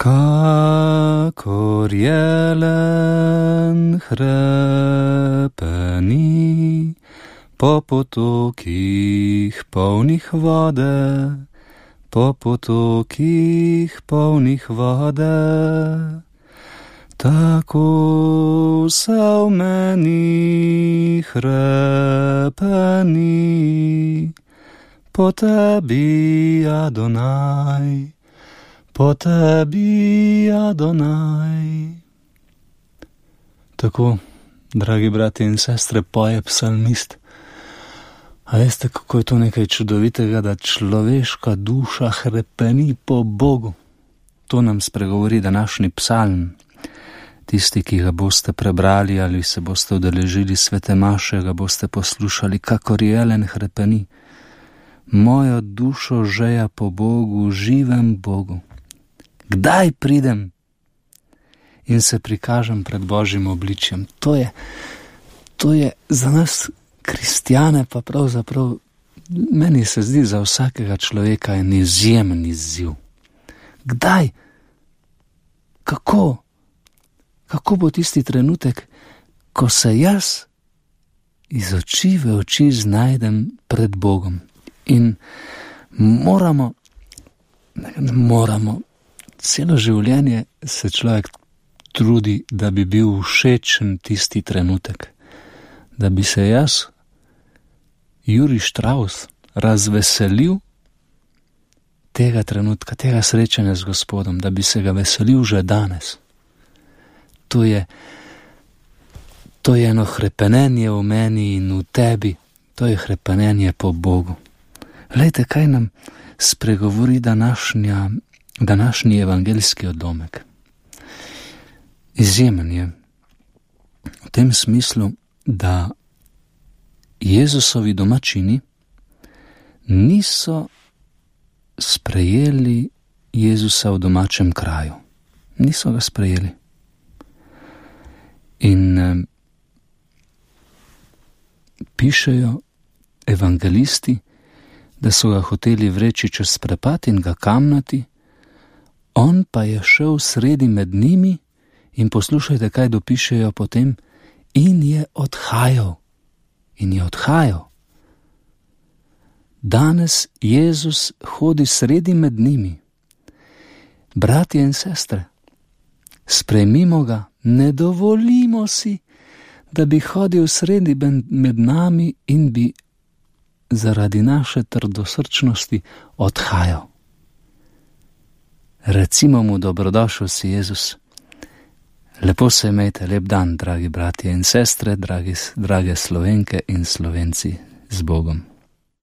Kakor jelen hrepeni po potokih polnih vode, po potokih polnih vode, tako se v meni hrepeni po tebi, Adonaj. Po tebi, Adonaj. Tako, dragi brati in sestre, poje psalmist. A veste, kako je to nekaj čudovitega, da človeška duša hrepeni po Bogu? To nam spregovori današnji psalm. Tisti, ki ga boste prebrali ali se boste udeležili svete maše, ga boste poslušali, kakor jelen hrepeni. Mojo dušo žeja po Bogu, živem Bogu. Kdaj pridem in se prikažem pred Božjim obličjem? To je za nas kristjane pa pravzaprav, meni se zdi za vsakega človeka en izjemen izziv. Kdaj? Kako? Kako bo tisti trenutek, ko se jaz iz oči v oči znajdem pred Bogom? In moramo, celo življenje se človek trudi, da bi bil všečen tisti trenutek. Da bi se jaz, Jurij Štravs, razveselil tega trenutka, tega srečanja z Gospodom, da bi se ga veselil že danes. To je eno hrepenenje v meni in v tebi, to je hrepenenje po Bogu. Glejte, kaj nam spregovori današnji evangeljski odlomek. Izjemen je v tem smislu, da Jezusovi domačini niso sprejeli Jezusa v domačem kraju. Niso ga sprejeli. In pišejo evangelisti, da so ga hoteli vreči čez prepad in ga kamnati, on pa je šel sredi med njimi in poslušajte, kaj dopišejo potem, in je odhajal. Danes Jezus hodi sredi med njimi. Bratje in sestre, sprejmimo ga, ne dovolimo si, da bi hodil sredi med nami in bi zaradi naše trdosrčnosti odhajal. Recimo mu, dobrodošel si Jezus. Lepo se imejte, lep dan, dragi bratje in sestre, drage Slovenke in Slovenci, z Bogom.